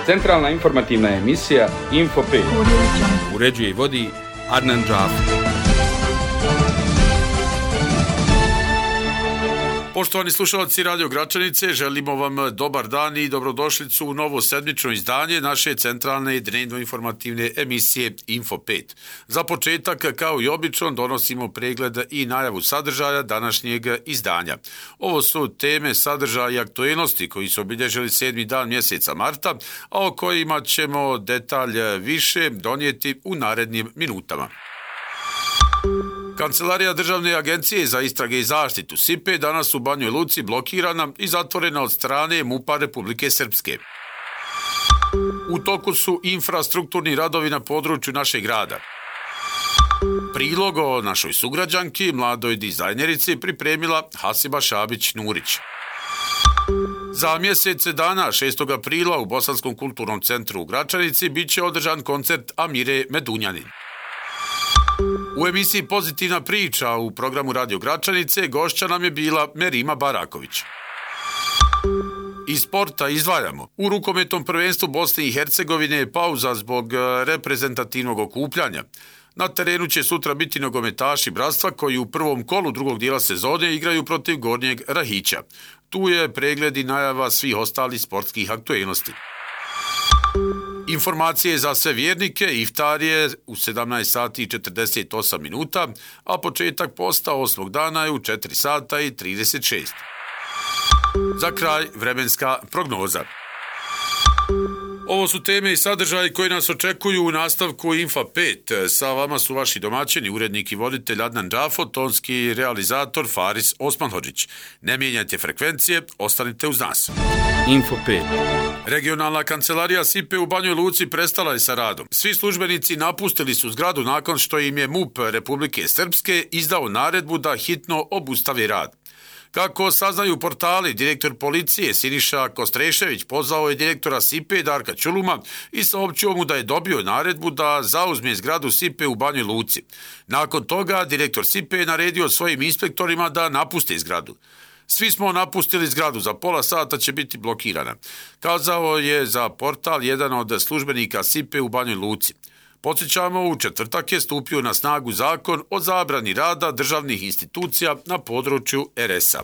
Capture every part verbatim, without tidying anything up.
Centralna informativna emisija Info pet. Uređuje i vodi Adnan Džafer. Poštovani slušalci Radio Gračanice, želimo vam dobar dan i dobrodošlicu u novo sedmično izdanje naše centralne i dnevno-informativne emisije Info pet. Za početak, kao i obično, donosimo pregled i najavu sadržaja današnjeg izdanja. Ovo su teme, sadržaja i aktuelnosti koji su obilježili sedmi dan mjeseca marta, a o kojima ćemo detalj više donijeti u narednim minutama. Kancelarija Državne agencije za istrage i zaštitu S I P E danas u Banjoj Luci blokirana i zatvorena od strane MUP-a Republike Srpske. U toku su infrastrukturni radovi na području našeg grada. Prilog o našoj sugrađanki, mladoj dizajnerici, pripremila Hasiba Šabić-Nurić. Za mjesec dana, šestog aprila, u Bosanskom kulturnom centru u Gračanici bit će održan koncert Amire Medunjanin. U emisiji Pozitivna priča u programu Radio Gračanice gošća nam je bila Merima Baraković. Iz sporta izdvajamo. U rukometnom prvenstvu Bosne i Hercegovine je pauza zbog reprezentativnog okupljanja. Na terenu će sutra biti nogometaši Bratstva koji u prvom kolu drugog dijela sezone igraju protiv Gornjeg Rahića. Tu je pregled i najava svih ostalih sportskih aktuelnosti. Informacije za sve vjernike, iftar je u sedamnaest sati i četrdeset osam minuta, a početak posta osmog dana je u četiri sata i trideset šest. Za kraj vremenska prognoza. Ovo su teme i sadržaji koji nas očekuju u nastavku Info pet. Sa vama su vaši domaćini, urednik i voditelj Adnan Džafer, tonski realizator Faris Osmanhodžić. Ne mijenjajte frekvencije, ostanite uz nas. Info pet. Regionalna kancelarija S I P E u Banjoj Luci prestala je sa radom. Svi službenici napustili su zgradu nakon što im je MUP Republike Srpske izdao naredbu da hitno obustavi rad. Kako saznaju portali, direktor policije Siniša Kostrešević pozvao je direktora S I P E Darka Čuluma i saopćio mu da je dobio naredbu da zauzme zgradu S I P E u Banjoj Luci. Nakon toga direktor S I P E naredio svojim inspektorima da napuste zgradu. Svi smo napustili zgradu, za pola sata će biti blokirana, kazao je za portal jedan od službenika S I P E u Banjoj Luci. Podsjećamo, u četvrtak je stupio na snagu zakon o zabrani rada državnih institucija na području R S-a.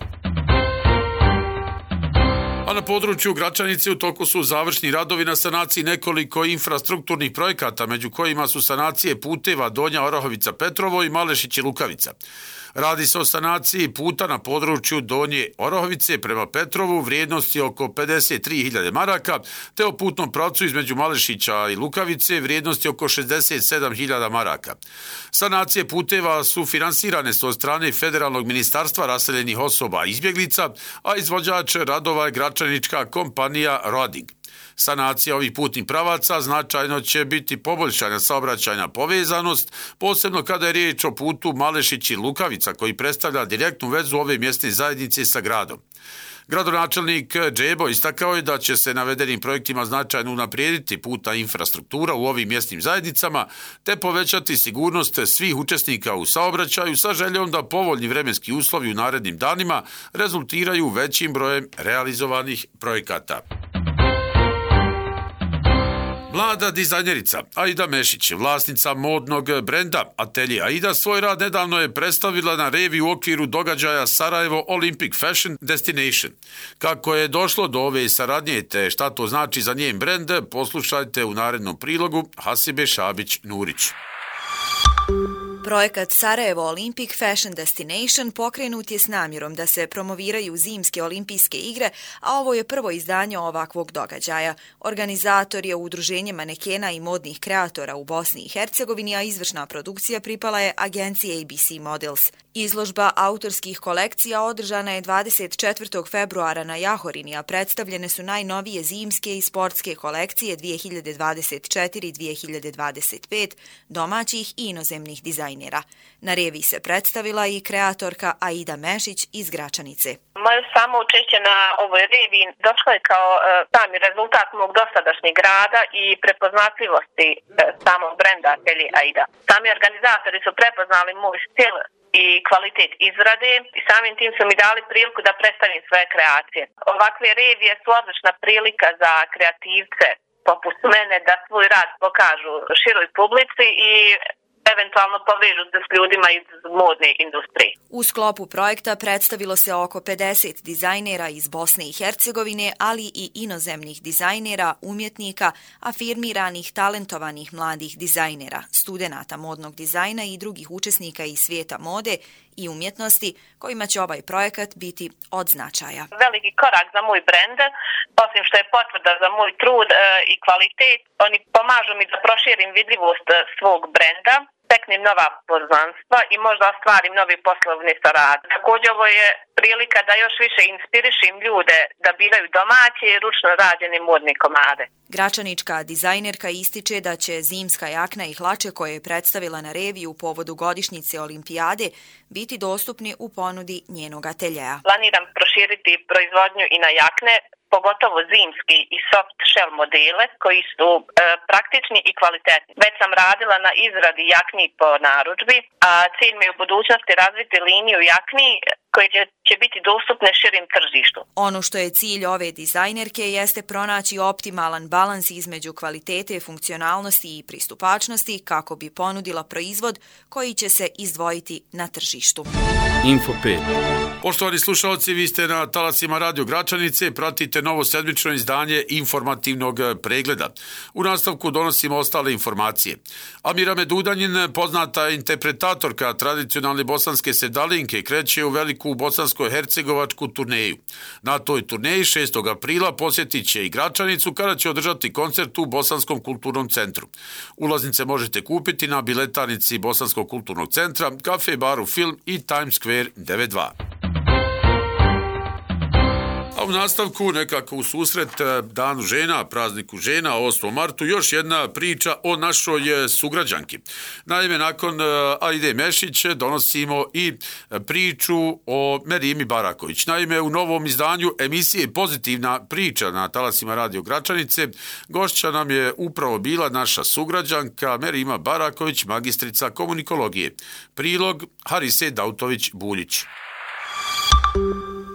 A na području Gračanice u toku su završni radovi na sanaciji nekoliko infrastrukturnih projekata, među kojima su sanacije puteva Donja Orahovica-Petrovo i Malešići-Lukavica. Radi se o sanaciji puta na području Donje Orahovice prema Petrovu vrijednosti oko pedeset tri hiljade maraka, te o putnom pravcu između Malešića i Lukavice vrijednosti oko šezdeset sedam hiljada maraka. Sanacije puteva su finansirane s od strane Federalnog ministarstva raseljenih osoba i izbjeglica, a izvođač radova je gračanička kompanija Roding. Sanacija ovih putnih pravaca značajno će biti poboljšana saobraćajna povezanost, posebno kada je riječ o putu Malešići-Lukavica koji predstavlja direktnu vezu ove mjesne zajednice sa gradom. Gradonačelnik Džebo istakao je da će se navedenim projektima značajno unaprijediti putna infrastruktura u ovim mjesnim zajednicama te povećati sigurnost svih učesnika u saobraćaju sa željom da povoljni vremenski uslovi u narednim danima rezultiraju većim brojem realizovanih projekata. Mlada dizajnerica Aida Mešić, vlasnica modnog brenda Atelje Aida, svoj rad nedavno je predstavila na revi u okviru događaja Sarajevo Olympic Fashion Destination. Kako je došlo do ove saradnje te šta to znači za njen brend, poslušajte u narednom prilogu Hasibe Šabić-Nurić. Projekat Sarajevo Olympic Fashion Destination pokrenut je s namjerom da se promoviraju zimske olimpijske igre, a ovo je prvo izdanje ovakvog događaja. Organizator je Udruženje manekena i modnih kreatora u Bosni i Hercegovini, a izvršna produkcija pripala je agenciji A B C Models. Izložba autorskih kolekcija održana je dvadeset četvrtog februara na Jahorini, a predstavljene su najnovije zimske i sportske kolekcije dvije hiljade dvadeset četiri dvije hiljade dvadeset pet domaćih i inozemnih dizajnera. Na revi se predstavila i kreatorka Aida Mešić iz Gračanice. Moje samo učešće na ovoj revi došlo je kao uh, sami rezultat mog dosadašnjeg rada i prepoznatljivosti uh, samog brenda Atelje Aida. Sami organizatori su prepoznali moj stil i kvalitet izrade i samim tim su mi dali priliku da predstavim svoje kreacije. Ovakve revije su odlična prilika za kreativce poput mene da svoj rad pokažu široj publici i eventualno povežu se s ljudima iz modne industrije. U sklopu projekta predstavilo se oko pedeset dizajnera iz Bosne i Hercegovine, ali i inozemnih dizajnera, umjetnika, afirmiranih, talentovanih mladih dizajnera, studenata modnog dizajna i drugih učesnika iz svijeta mode i umjetnosti, kojima će ovaj projekat biti od značaja. Veliki korak za moj brend, osim što je potvrda za moj trud e, i kvalitet, oni pomažu mi da proširim vidljivost svog brenda, steknem nova poznanstva i možda ostvarim novi poslovni saradnje. Također ovo je prilika da još više inspirišim ljude da biraju domaće i ručno rađene modne komade. Gračanička dizajnerka ističe da će zimska jakna i hlače koje je predstavila na reviju u povodu godišnjice olimpijade biti dostupni u ponudi njenog ateljeja. Planiram proširiti proizvodnju i na jakne, pogotovo zimski i soft shell modele koji su e, praktični i kvalitetni. Već sam radila na izradi jakni po narudžbi, a cilj mi je u budućnosti razviti liniju jakni koje će, će biti dostupne širim tržištu. Ono što je cilj ove dizajnerke jeste pronaći optimalan balans između kvalitete, funkcionalnosti i pristupačnosti kako bi ponudila proizvod koji će se izdvojiti na tržištu. Info pet. Poštovani slušalci, vi ste na talacima Radio Gračanice, pratite novo sedmično izdanje informativnog pregleda. U nastavku donosimo ostale informacije. Amira Medudanjin, poznata interpretatorka tradicionalne bosanske sevdalinke, kreće u veliku bosansko-hercegovačku turneju. Na toj turneji šestog aprila posjetit će i Gračanicu kada će održati koncert u Bosanskom kulturnom centru. Ulaznice možete kupiti na biletarnici Bosanskog kulturnog centra, kafe, baru Film i Times Square devet dva. A u nastavku, nekako u susret Danu žena, prazniku žena, osmom martu, još jedna priča o našoj sugrađanki. Naime, nakon Aide Mešić donosimo i priču o Merimi Baraković. Naime, u novom izdanju emisije Pozitivna priča na talacima Radio Gračanice gošća nam je upravo bila naša sugrađanka Merima Baraković, magistrica komunikologije. Prilog Harise Dautović-Buljić.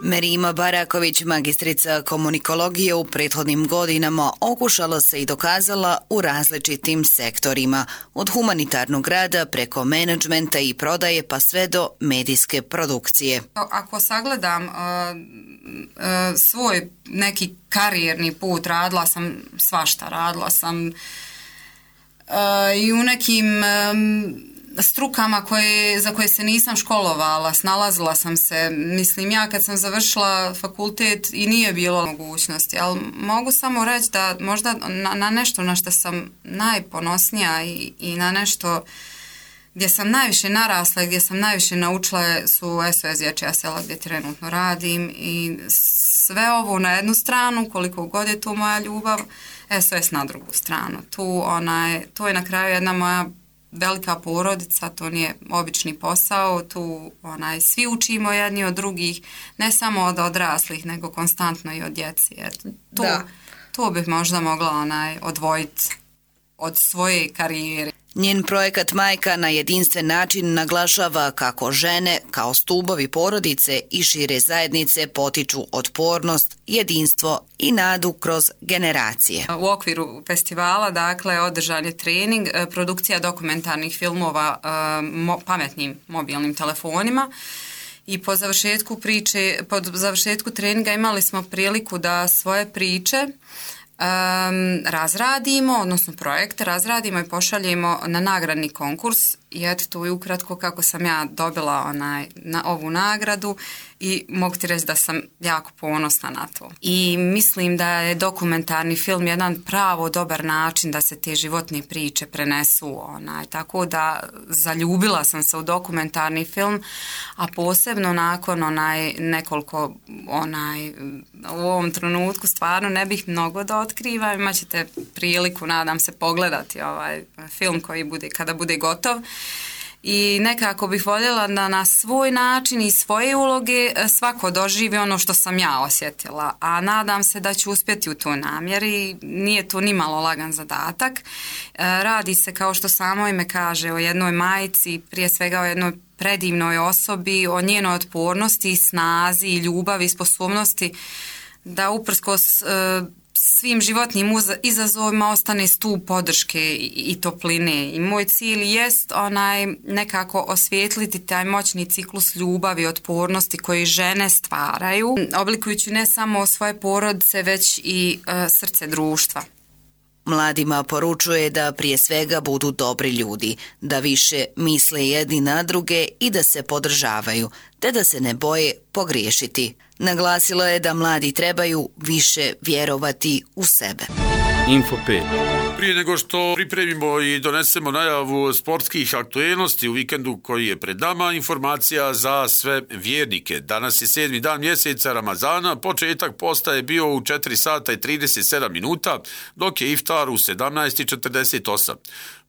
Merima Baraković, magistrica komunikologije, u prethodnim godinama okušala se i dokazala u različitim sektorima, od humanitarnog rada preko menadžmenta i prodaje pa sve do medijske produkcije. Ako sagledam uh, uh, svoj neki karijerni put, radila sam svašta, radila sam uh, i u nekim um, strukama koje, za koje se nisam školovala, snalazila sam se. Mislim, ja kad sam završila fakultet i nije bilo mogućnosti, ali mogu samo reći da možda na, na nešto na što sam najponosnija i, i na nešto gdje sam najviše narasla i gdje sam najviše naučila su S O S Dječja sela gdje trenutno radim i sve ovo na jednu stranu, koliko god je to moja ljubav, S O S na drugu stranu. Tu onaj, to je na kraju jedna moja velika porodica, to nije obični posao, tu onaj, svi učimo jedni od drugih, ne samo od odraslih, nego konstantno i od djeci. Tu, tu bih možda mogla onaj, odvojiti od svoje karijere. Njen projekat Majka na jedinstven način naglašava kako žene, kao stubovi porodice i šire zajednice, potiču otpornost, jedinstvo i nadu kroz generacije. U okviru festivala, dakle, održan je trening, produkcija dokumentarnih filmova mo, pametnim mobilnim telefonima. I po završetku priče, po završetku treninga imali smo priliku da svoje priče Um, razradimo, odnosno projekte razradimo i pošaljemo na nagradni konkurs i eto to je ukratko kako sam ja dobila onaj, na ovu nagradu i mogu ti reći da sam jako ponosna na to. I mislim da je dokumentarni film jedan pravo dobar način da se te životne priče prenesu. Onaj, tako da zaljubila sam se u dokumentarni film, a posebno nakon onaj, nekoliko onaj, u ovom trenutku stvarno ne bih mnogo da otkrivam. Imat ćete priliku, nadam se, pogledati ovaj film koji bude, kada bude gotov. I nekako bih voljela da na svoj način i svoje uloge svako doživi ono što sam ja osjetila, a nadam se da ću uspjeti u toj namjeri. Nije to ni malo lagan zadatak. Radi se, kao što samo ime kaže, o jednoj majci, prije svega o jednoj predivnoj osobi, o njenoj otpornosti, snazi, ljubavi i sposobnosti da uprkos svim životnim izazovima ostane stup podrške i topline. I moj cilj jest onaj nekako osvijetliti taj moćni ciklus ljubavi i otpornosti koji žene stvaraju, oblikujući ne samo svoje porodice, već i e, srce društva. Mladima poručuje da prije svega budu dobri ljudi, da više misle jedni na druge i da se podržavaju, te da se ne boje pogriješiti. Naglasila je da mladi trebaju više vjerovati u sebe. Info pet. Prije nego što pripremimo i donesemo najavu sportskih aktuelnosti u vikendu koji je pred nama, informacija za sve vjernike. Danas je sedmi dan mjeseca Ramazana, početak posta je bio u četiri sata i trideset sedam minuta, dok je iftar u sedamnaest i četrdeset osam.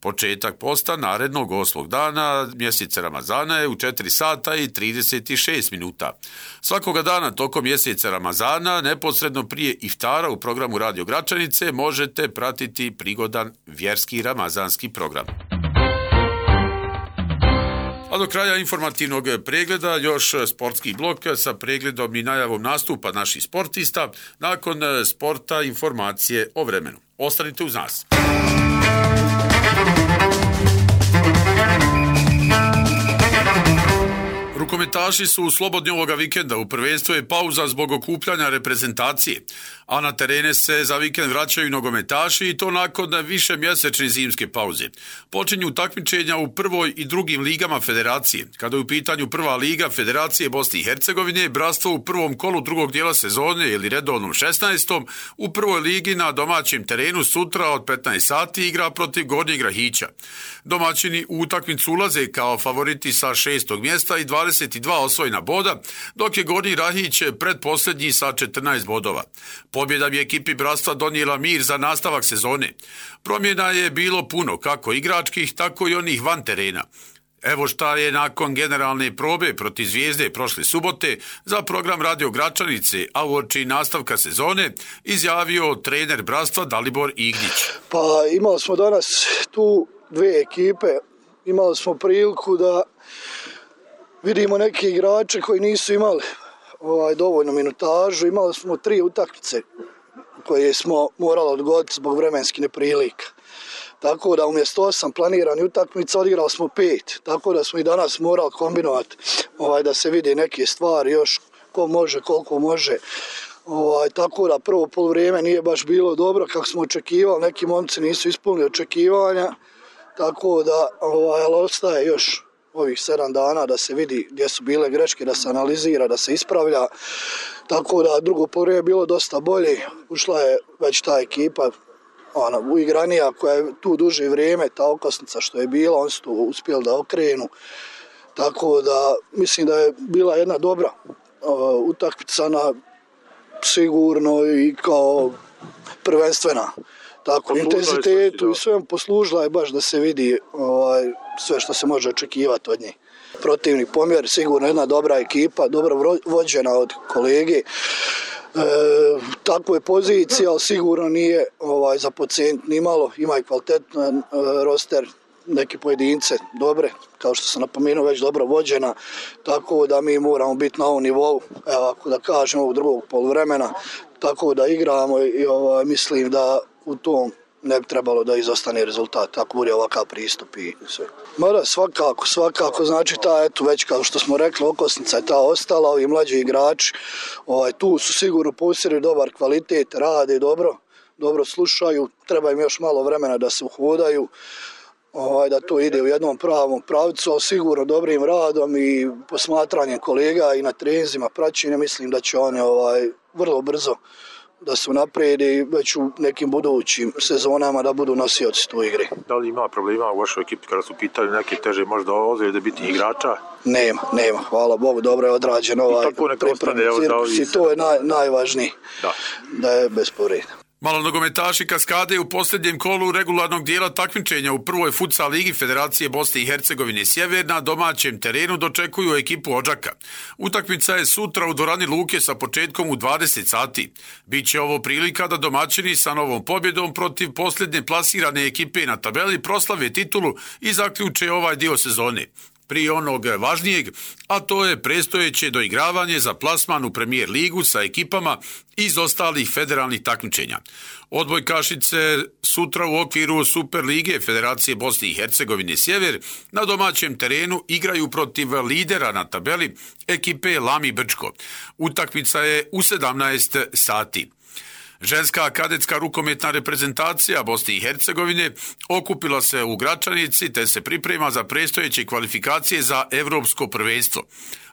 Početak posta narednog osmog dana mjeseca Ramazana je u četiri sata i trideset šest minuta. Svakoga dana tokom mjeseca Ramazana, neposredno prije iftara u programu Radio Gračanice, možete pratiti prigodan vjerski ramazanski program. A do kraja informativnog pregleda još sportski blok sa pregledom i najavom nastupa naših sportista. Nakon sporta informacije o vremenu. Ostanite uz nas. Rukometaši su slobodni ovoga vikenda, u prvenstvu je pauza zbog okupljanja reprezentacije, a na terene se za vikend vraćaju nogometaši i to nakon više mjesečne zimske pauze. Počinju takmičenja u prvoj i drugim ligama federacije. Kada je u pitanju prva liga Federacije Bosne i Hercegovine, Bratstvo u prvom kolu drugog dijela sezone ili redovnom šesnaestom u prvoj ligi na domaćem terenu sutra od petnaest sati igra protiv Gornjeg Rahića. Domaćini u utakmicu ulaze kao favoriti sa šestog mjesta i dvadeset dva osvojena boda, dok je Gornji Rahić predposljednji sa četrnaest bodova. Pobjeda bi ekipi Bratstva donijela mir za nastavak sezone. Promjena je bilo puno, kako igračkih, tako i onih van terena. Evo šta je nakon generalne probe protiv Zvijezde prošle subote za program Radio Gračanice, a uoči nastavka sezone, izjavio trener Bratstva Dalibor Ignjić. Pa imali smo danas tu dvije ekipe, imali smo priliku da vidimo neke igrače koji nisu imali ovaj, dovoljnu minutažu. Imali smo tri utakmice koje smo morali odgoditi zbog vremenskih neprilika. Tako da umjesto osam planiranih utakmica odigrali smo pet. Tako da smo i danas morali kombinovati ovaj, da se vidi neke stvari još ko može, koliko može. Ovaj, tako da prvo poluvrijeme nije baš bilo dobro kako smo očekivali. Neki momci nisu ispunili očekivanja. Tako da ovaj, ostaje još ovih sedam dana da se vidi gdje su bile greške, da se analizira, da se ispravlja. Tako da drugo poluvrijeme je bilo dosta bolje. Ušla je već ta ekipa ona, uigranija koja je tu duže vrijeme, ta okosnica što je bila, oni su to uspjeli da okrenu. Tako da mislim da je bila jedna dobra uh, utakmica na sigurno i kao prvenstvena. Tako, intenzitetu i svem poslužila je baš da se vidi ovaj, sve što se može očekivati od njih. Protivnik pomjer, sigurno jedna dobra ekipa, dobro vođena od kolege. E, takva je pozicija, ali sigurno nije ovaj, za podcijenit ni malo. Ima i kvalitetan e, roster, neke pojedince dobre, kao što sam napomenuo, već dobro vođena. Tako da mi moramo biti na ovom nivou, evo, ako da kažem, ovog drugog poluvremena. Tako da igramo i ovaj, mislim da u tom ne bi trebalo da izostane rezultat, ako bude ovakav pristup i sve. Mada svakako, svakako, znači ta, eto već kao što smo rekli, okosnica je ta ostala, ovi mlađi igrači, ovaj, tu su sigurno posjeduju dobar kvalitet, rade dobro, dobro slušaju, treba im još malo vremena da se uhodaju, ovaj, da to ide u jednom pravom pravcu, ali sigurno dobrim radom i posmatranjem kolega i na treninzima praćenja, mislim da će oni ovaj, vrlo brzo da su naprijedi već u nekim budućim sezonama da budu nosioci tu igre. Da li ima problema u vašoj ekipi kada su pitali neke teže možda ozljede biti igrača? Nema, nema. Hvala Bogu, dobro je odrađen ovaj pripremni cirkus i to je naj, najvažnije da. da je bez povreda. Malonogometaši Kaskade u posljednjem kolu regularnog dijela takmičenja u prvoj futsal ligi Federacije Bosne i Hercegovine Sjever na domaćem terenu dočekuju ekipu Odžaka. Utakmica je sutra u dvorani Luke sa početkom u dvadeset sati. Biće ovo prilika da domaćini sa novom pobjedom protiv posljednje plasirane ekipe na tabeli proslave titulu i zaključe ovaj dio sezone. prije onog važnijeg, a to je predstojeće doigravanje za plasman u Premijer ligu sa ekipama iz ostalih federalnih takmičenja. Odbojkašice sutra u okviru Super lige Federacije Bosne i Hercegovine Sjever na domaćem terenu igraju protiv lidera na tabeli ekipe Lami Brčko. Utakmica je u sedamnaest sati. Ženska kadetska rukometna reprezentacija Bosne i Hercegovine okupila se u Gračanici te se priprema za predstojeće kvalifikacije za Evropsko prvenstvo.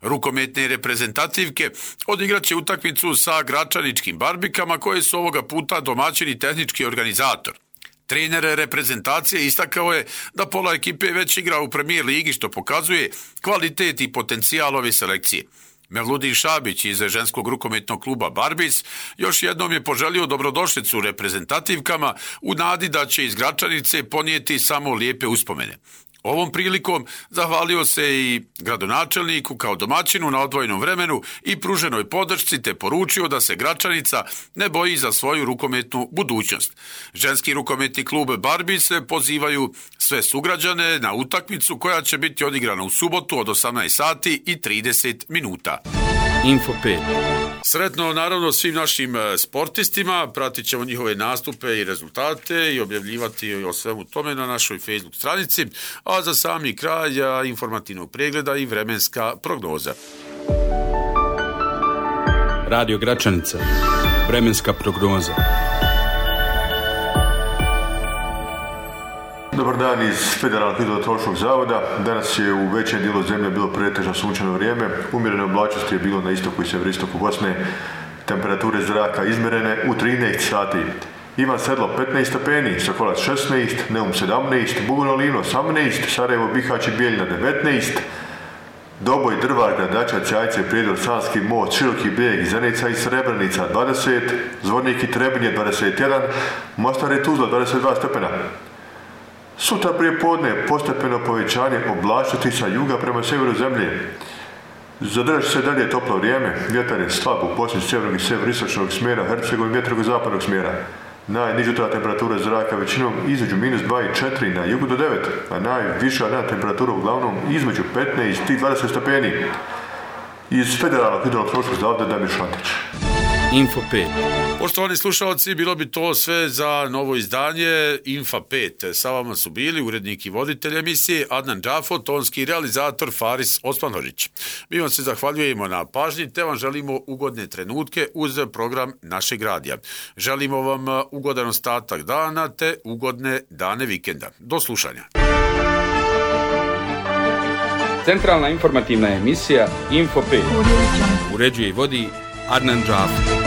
Rukometne reprezentativke odigraće utakmicu sa gračaničkim Barbikama koje su ovoga puta domaćini tehnički organizator. Trener reprezentacije istakao je da pola ekipe već igra u Premijer ligi što pokazuje kvalitet i potencijal ove selekcije. Mevludin Šabić iz ženskog rukometnog kluba Barbis još jednom je poželio dobrodošlicu reprezentativkama u nadi da će iz Gračanice ponijeti samo lijepe uspomene. Ovom prilikom zahvalio se i gradonačelniku kao domaćinu na odvojenom vremenu i pruženoj podršci te poručio da se Gračanica ne boji za svoju rukometnu budućnost. Ženski rukometni klub Barbis pozivaju sve sugrađane na utakmicu koja će biti odigrana u subotu od osamnaest sati i trideset minuta. Info pet. Sretno naravno svim našim sportistima, pratit ćemo njihove nastupe i rezultate i objavljivati o svemu tome na našoj Facebook stranici, a za sami kraj informativnog pregleda i vremenska prognoza. Radio Gračanica. Vremenska prognoza. Dobar dan iz Federalnog hidrometeorološkog zavoda. Danas je u većem dijelu zemlje bilo pretežno sunčano vrijeme. Umjerene oblačnosti je bilo na istoku i sjeveroistoku Bosne. Temperature zraka izmjerene u trinaest sati. Ivan Sedlo petnaest stepeni, Sokolac šesnaest, Neum sedamnaest, Bugojno osamnaest, Sarajevo, Bihać i Bijeljina devetnaest, Doboj, Drvar, Gradačac, Jajce, Prijedor, Sanski most, Široki brijeg, Zenica i Srebrenica dvadeset, Zvornik i Trebinje dvadeset jedan, Mostar i Tuzla dvadeset dva stepena. Sutra prije podne postepeno povećanje oblačnosti sa juga prema sjeveru zemlje. Zadržat se dalje toplo vrijeme, vjetar je slab u posljednju sjevernog i sjeveroistočnog smjera, Hercegovini vjetrog zapadnog smjera. Najniža temperatura zraka većinom između minus dva i četiri, na jugu do devet, a najviša dnevna temperatura uglavnom između petnaest i dvadeset stepeni. Iz Federalnog hidrometeorološkog zavoda Damir Šantić. Info pet. Poštovani slušalci, bilo bi to sve za novo izdanje Info pet. Sa vama su bili urednik i voditelj emisije Adnan Džafo, tonski realizator Faris Osmanović. Mi vam se zahvaljujemo na pažnji te vam želimo ugodne trenutke uz program našeg radija. Želimo vam ugodan ostatak dana te ugodne dane vikenda. Do slušanja. Centralna informativna emisija Info pet. Uređuje i vodi Adnan Džafo.